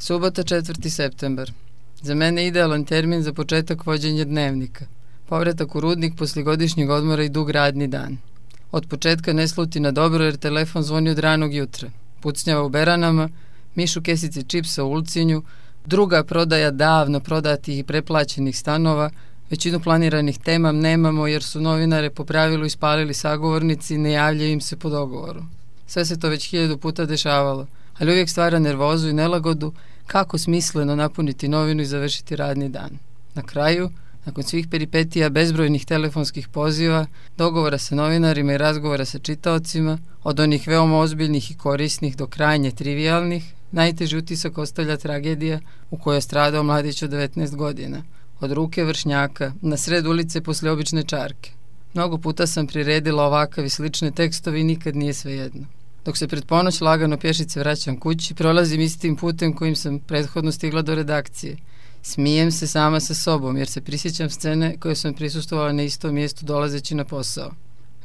Subota 4. septembar. Za mene idealan termin za početak vođenja dnevnika. Povratak u rudnik poslije godišnjeg odmora i dug radni dan. Od početka ne sluti na dobro jer telefon zvoni od ranog jutra. Pucnjava u beranama, mišu kesice čipsa u Ulcinju, druga prodaja davno prodatih i preplaćenih stanova, većinu planiranih tema nemamo jer su novinare po pravilu ispalili sagovornici i ne javljaju im se po dogovoru. Sve se to već 1000 puta dešavalo, ali uvijek stvara nervozu i nelagodu kako smisleno napuniti novinu i završiti radni dan. Na kraju, nakon svih peripetija, bezbrojnih telefonskih poziva, dogovora sa novinarima i razgovora sa čitaocima, od onih veoma ozbiljnih i korisnih do krajnje trivialnih, najteži utisak ostavlja tragedija u kojoj je stradao mladić od 19 godina, od ruke vršnjaka, na sred ulice poslije obične čarke. Mnogo puta sam priredila ovakav i slične tekstove i nikad nije svejedno. Dok se pred ponoć lagano pješice vraćam kući, prolazim istim putem kojim sam prethodno stigla do redakcije. Smijem se sama sa sobom jer se prisjećam scene koje sam prisustvovala na istom mjestu dolazeći na posao.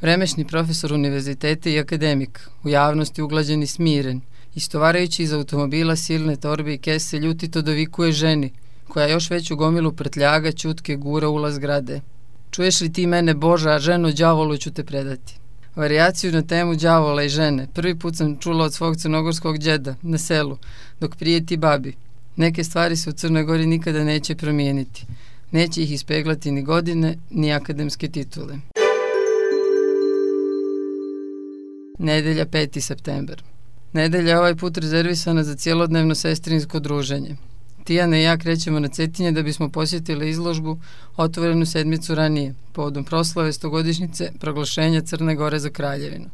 Vremešni profesor univerziteta i akademik, u javnosti uglađen i smiren, istovarajući iz automobila silne torbe i kese, ljutito dovikuje ženi, koja još veću gomilu prtljaga ćutke gura ulaz zgrade. Čuješ li ti mene, Boža, a ženo, đavolu ću te predati. Varijaciju na temu đavola i žene prvi put sam čula od svog crnogorskog djeda na selu, dok prijeti babi. Neke stvari se u Crnoj Gori nikada neće promijeniti. Neće ih ispeglati ni godine, ni akademske titule. Nedelja 5. septembar. Nedelja je ovaj put rezervisana za cjelodnevno sestrinsko druženje. Tijana i ja krećemo na Cetinje da bismo posjetili izložbu otvorenu sedmicu ranije, povodom proslave 100-godišnjice proglašenja Crne Gore za kraljevinu.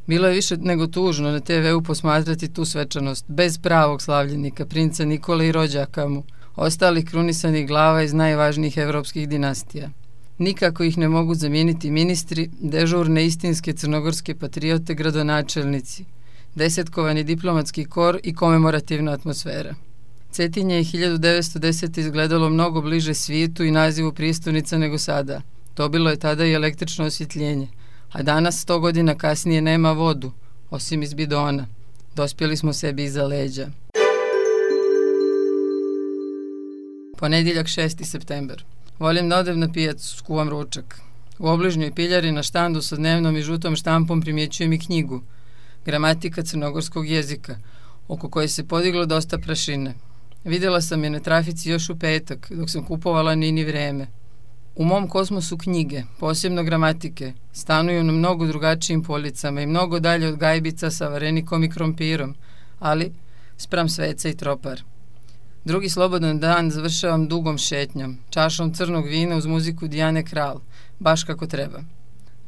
Bilo je više nego tužno na TV-u posmatrati tu svečanost, bez pravog slavljenika, princa Nikole i rođaka mu, ostalih krunisanih glava iz najvažnijih evropskih dinastija. Nikako ih ne mogu zamijeniti ministri, dežurne istinske crnogorske patriote, gradonačelnici, desetkovani diplomatski kor i komemorativna atmosfera. Cetinje je 1910. izgledalo mnogo bliže svijetu i nazivu prijestolnica nego sada. Dobilo je tada i električno osvjetljenje, a danas 100 godina kasnije nema vodu, osim iz bidona. Dospjeli smo sebi iza leđa. Ponedjeljak 6. septembar. Volim da odem na pijacu, skuvam ručak. U obližnjoj piljari na štandu sa dnevnom i žutom štampom primjećujem i knjigu Gramatika crnogorskog jezika, oko koje se podiglo dosta prašine. Vidjela sam je na trafici još u petak, dok sam kupovala Nini vreme. U mom kosmosu knjige, posebno gramatike, stanuju na mnogo drugačijim policama i mnogo dalje od gajbica sa varenikom i krompirom, ali spram sveca i tropar. Drugi slobodan dan završavam dugom šetnjom, čašom crnog vina uz muziku Dijane Kralj, baš kako treba.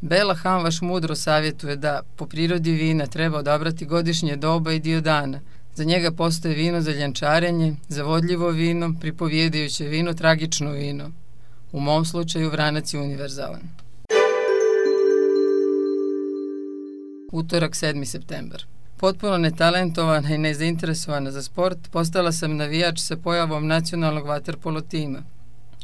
Bela Hamvaš mudro savjetuje da, po prirodi vina, treba odabrati godišnje doba i dio dana. Za njega postoje vino za ljenčarenje, zavodljivo vino, pripovjedajuće vino, tragično vino. U mom slučaju vranac je univerzalan. Utorak 7. septembar. Potpuno netalentovana i nezainteresovana za sport, postala sam navijač sa pojavom nacionalnog vaterpolo tima.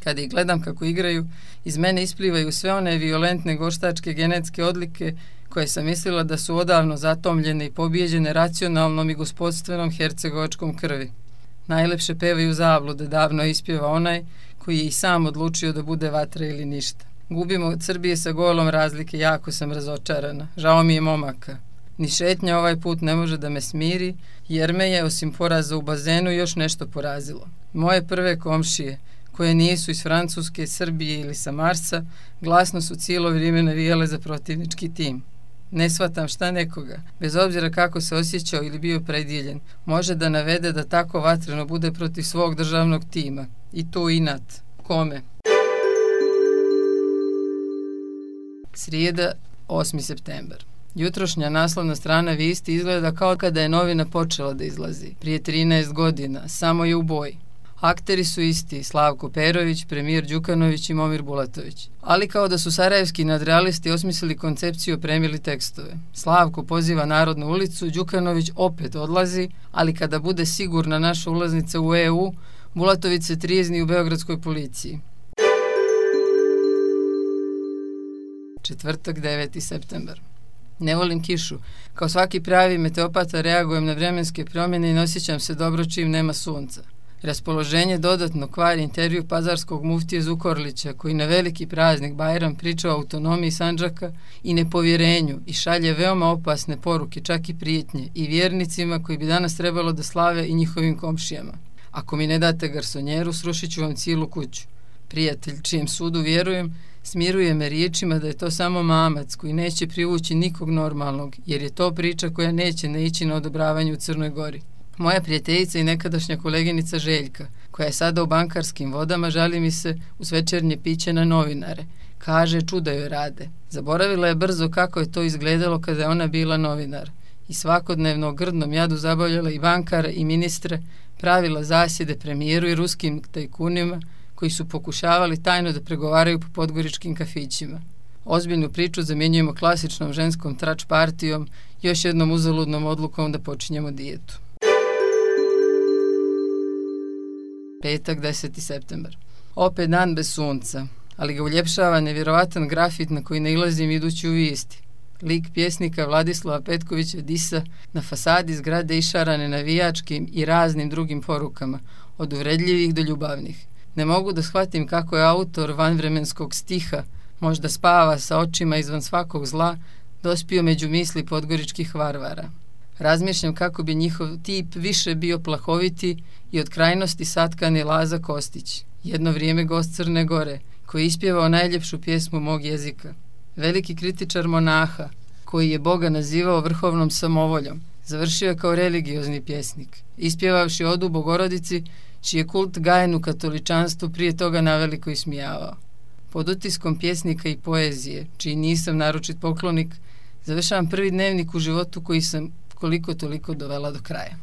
Kada ih gledam kako igraju, iz mene isplivaju sve one violentne goštačke genetske odlike koje sam mislila da su odavno zatomljene i pobijeđene racionalnom i gospodstvenom hercegovačkom krvi. Najlepše pevaju zablude, davno ispjeva onaj koji je i sam odlučio da bude vatra ili ništa. Gubimo od Srbije sa golom razlike, jako sam razočarana, žao mi je momaka. Ni šetnja ovaj put ne može da me smiri, jer me je, osim poraza u bazenu, još nešto porazilo. Moje prve komšije, koje nisu iz Francuske, Srbije ili sa Marsa, glasno su cijelo vrijeme navijale za protivnički tim. Ne shvatam šta nekoga, bez obzira kako se osjećao ili bio predijeljen, može da navede da tako vatreno bude protiv svog državnog tima. I to inat. Kome? Srijeda, 8. septembar. Jutrošnja naslovna strana vijesti izgleda kao kada je novina počela da izlazi. Prije 13 godina, samo je u boji. Akteri su isti, Slavko Perović, premijer Đukanović i Momir Bulatović. Ali kao da su sarajevski nadrealisti osmislili koncepciju, opremili tekstove. Slavko poziva Narodnu ulicu, Đukanović opet odlazi, ali kada bude sigurna naša ulaznica u EU, Bulatović se trijezni u beogradskoj policiji. Četvrtak, 9. septembar. Ne volim kišu. Kao svaki pravi meteopata reagujem na vremenske promjene i ne osjećam se dobro čim nema sunca. Raspoloženje dodatno kvari intervju pazarskog muftije Zukorlića, koji na veliki praznik Bajram priča o autonomiji Sandžaka i nepovjerenju i šalje veoma opasne poruke, čak i prijetnje, i vjernicima koji bi danas trebalo da slave i njihovim komšijama. Ako mi ne date garsonjeru, srušit ću vam cijelu kuću. Prijatelj, čijem sudu vjerujem, smiruje me riječima da je to samo mamac koji neće privući nikog normalnog, jer je to priča koja neće naići na odobravanje u Crnoj Gori. Moja prijateljica i nekadašnja koleginica Željka, koja je sada u bankarskim vodama, žali mi se uz večernje piće na novinare. Kaže, čuda joj rade. Zaboravila je brzo kako je to izgledalo kada je ona bila novinar. I svakodnevno o grdnom jadu zabavljala i bankara i ministre, pravila zasjede premijeru i ruskim tajkunima koji su pokušavali tajno da pregovaraju po podgoričkim kafićima. Ozbiljnu priču zamjenjujemo klasičnom ženskom trač partijom, još jednom uzaludnom odlukom da počinjemo dijetu. Petak, 10. septembar. Opet dan bez sunca, ali ga uljepšava nevjerovatan grafit na koji nailazim idući u vijesti. Lik pjesnika Vladislava Petkovića Disa na fasadi zgrade išarane navijačkim i raznim drugim porukama, od uvredljivih do ljubavnih. Ne mogu da shvatim kako je autor vanvremenskog stiha, možda spava sa očima izvan svakog zla, dospio među misli podgoričkih varvara. Razmišljam kako bi njihov tip više bio plahoviti i od krajnosti satkani Laza Kostić, jedno vrijeme gost Crne Gore, koji je ispjevao najljepšu pjesmu mog jezika. Veliki kritičar monaha, koji je Boga nazivao vrhovnom samovoljom, završio je kao religiozni pjesnik, ispjevavši odu Bogorodici, čiji je kult gajen u katoličanstvu prije toga naveliko ismijavao. Pod utiskom pjesnika i poezije, čiji nisam naročit poklonik, završavam prvi dnevnik u životu koji sam koliko toliko dovela do kraja.